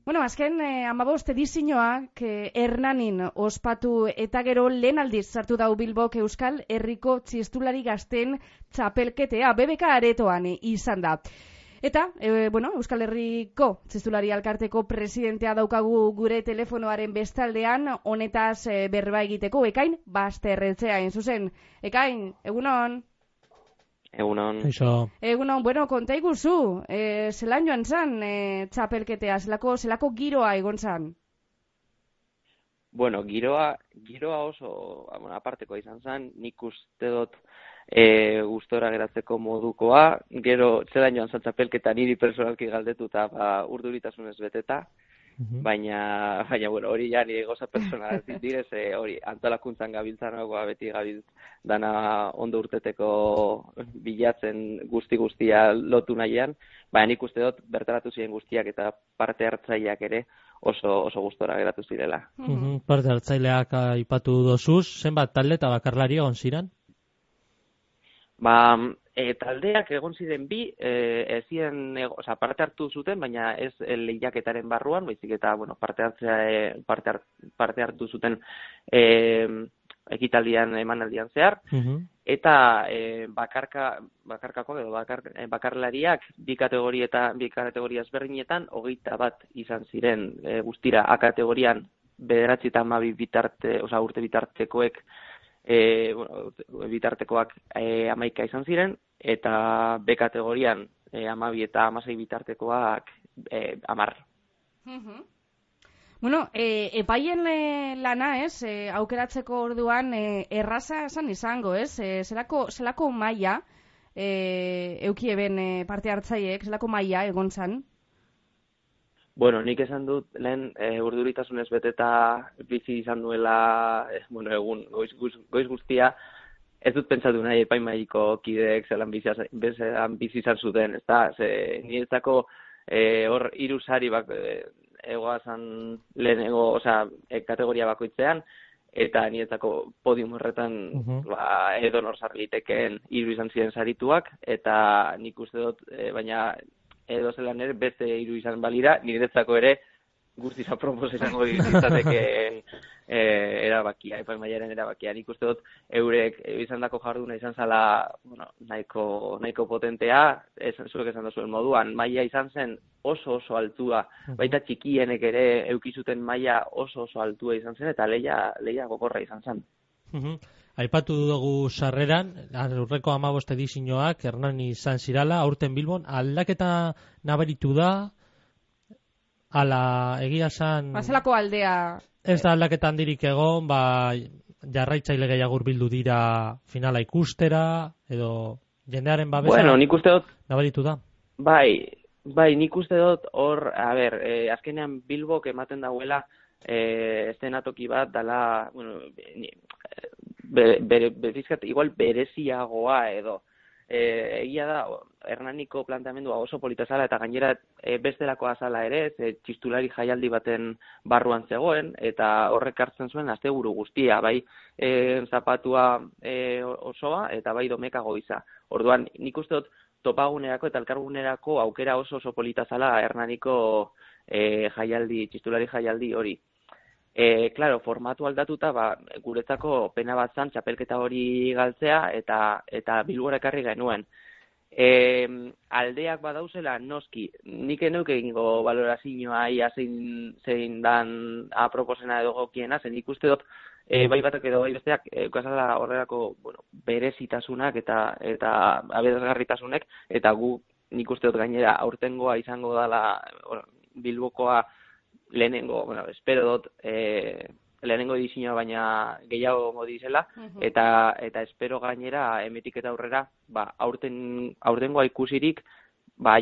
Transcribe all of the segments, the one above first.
Bueno, azken 15 edizioak Hernanin ospatu eta gero lehen aldiz sartu dau Bilbok Euskal Herriko txistulari gazten txapelketea BBK aretoan izan da. Eta, Euskal Herriko txistulari alkarteko presidentea daukagu gure telefonoaren bestaldean, honetaz berba egiteko, Ekain Basterretxea, zuzen. Ekain, egunon? Egunon. Egunon, konta iguzu, zelan joan zan txapelketea, zelako giroa egon zan? Bueno, giroa oso apartekoa izan zan, nik uste dut gustora geratzeko modukoa, gero zelan joan zan txapelketa niri personalki galdetu eta urduritasunez beteta, baina hori ja nire goza personala direz, hori antolakuntzan gabiltzanagoa beti gabiltz dana ondo urteteko bilatzen guztia lotu nahian, baina nik uste dut bertaratu ziren guztiak eta parte hartzaileak ere oso gustora geratu zirela. Parte hartzaileak aipatu dozuz, zenbat talde eta bakarlari egon ziren? Taldeak egon ziren bi, parte hartu zuten, baina ez lehiaketaren barruan, baizik eta parte hartu zuten ekitaldian emanaldian zehar, eta bakarlariak bi kategoria ezberdinetan 21 izan ziren guztira. A kategorian 9 eta 12 urte bitartekoek bitartekoak 11 izan ziren, eta B kategorian 12 eta 16 bitartekoak 10. Epaien lana, aukeratzeko orduan erraza esan izango, zelako maila eukieben parte hartzaileek, zelako maila egon zan? Bueno, nik esan dut lehen urduritasunez beteta bizi izan duela, egun goiz guztia, ez dut pentsatu nahi epaimaiko kideek zelan bizi izan zuten, ezta? Niretzako hor 3 sari egoazan lehenengo, kategoria bakoitzean, eta niretzako podium horretan edonor sarlitekeen 3 izan ziren sarituak, eta nik uste dut, baina edo zelan ere beste 3 izan balira, niretzako ere guztiz apropos izango ditzatekeen erabakia, epaimaiaren erabakia. Nik uste dut eurek izandako jarduna izan zala nahiko potentea, zuek esan duzuen moduan, maila izan zen oso altua, baita txikienek ere eukizuten maila oso altua izan zen, eta lehia gogorra izan zen. Aipatu dugu sarreran, aurreko 15 edizioak Hernani izan zirala, aurten Bilbon, aldaketa nabaritu da, ala egia zan... Zelako aldea... Ez da aldaketa handirik egon, jarraitzaile gehiago hurbildu dira finala ikustera, edo jendearen babesa... Bueno, nik uste dut... Nabaritu da. Bai, nik uste dut hor, azkenean Bilbok ematen dauela estenatoki bat dala, bezizkat igual bereziagoa edo. Egia da, Hernaniko planteamendua oso polita zala eta gainera bestelakoa zala ere, txistulari jaialdi baten barruan zegoen, eta horrek hartzen zuen asteburu guztia, bai zapatua osoa eta bai domeka goiza. Orduan, nik uste dut topagunerako eta elkargunerako aukera oso polita zala Hernaniko txistulari jaialdi hori. Claro, formatu aldatuta, guretzako pena bat zan txapelketa hori galtzea eta Bilbora ekarri genuen. Aldeak badauzela noski, nik enuk egingo valorazioa ia zein dan aproposena edo gokiena, zen ikuste dut bai batak edo bai besteak eukazala horrelako berezitasunak eta aberasgarritasunek, eta nik uste dut gainera aurtengoa izango dela Bilbokoa lehenengo, espero dut lehenengo edizioa baina gehiago modizela, eta espero gainera emetik eta aurrera, aurtengoa ikusirik,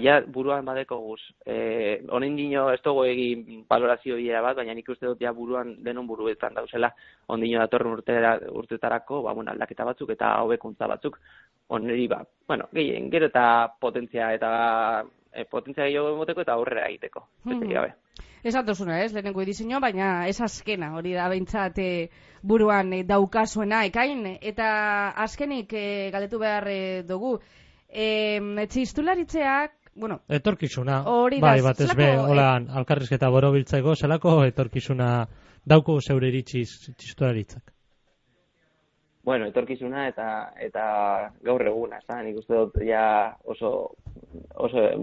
ja buruan badeko guz. Honen dino ez dugu egin valorazio bilera bat, baina nik uste dut ja buruan denon buruetan dauzela, ondino datorren urtetarako, aldaketa batzuk eta hobekuntza batzuk, oneri gero eta potentzia gehiago emoteko eta aurrera egiteko. Ez atozuna, lehenengo edizioa, baina ez azkena, hori da behintzat buruan daukasuena ekain, eta azkenik galdetu behar dugu. Txistularitzeak bueno, etorkizuna, hori da, bai, batez be, zelako, holan, alkarrizketa borobiltzeko, zelako etorkizuna dauko zeure iritziz txistularitzak? Bueno, etorkizuna eta gaur eguna, nik uste dut ja oso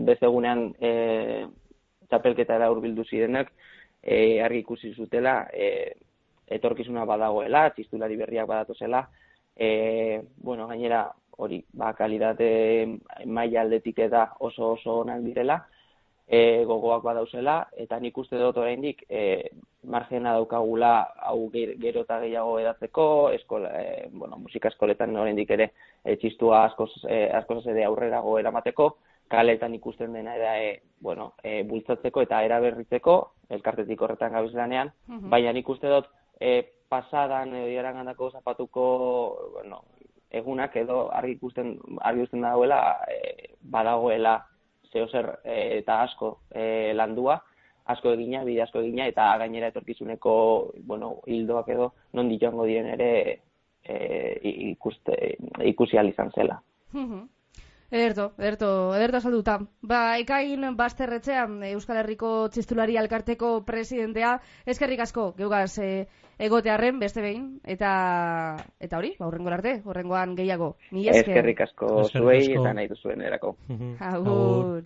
beste egunean txapelketara hurbildu zirenak argi ikusi zutela etorkizuna badagoela, txistulari berriak badatozela, bueno, gainera hori, kalidate maila aldetik da oso onak direla, gogoak badauzela, eta nik uste dut oraindik margena daukagula hau gero eta gehiago edatzeko, musika eskoletan oraindik ere txistua askoz ere aurrerago eramateko, kaletan ikusten dena da bultzatzeko eta eraberritzeko, elkartetik horretan gabiz lanean, baina nik uste dut pasadan edo iragandako zapatuko egunak edo argi ikusten dagoela badagoela zeozer eta asko landua, asko egina, bide asko egina, eta gainera etorkizuneko hildoak edo nondik joango diren ere ikusi ahal izan zela. Ederto salduta. Ekain Basterretxean, Euskal Herriko Txistulari Alkarteko presidentea, eskerrik asko, geugaz egotearren, beste behin, eta hori, hurrengo arte, hurrengoan gehiago. Mila esker. Eskerrik asko zuei eta nahi duzuen erako. Agur.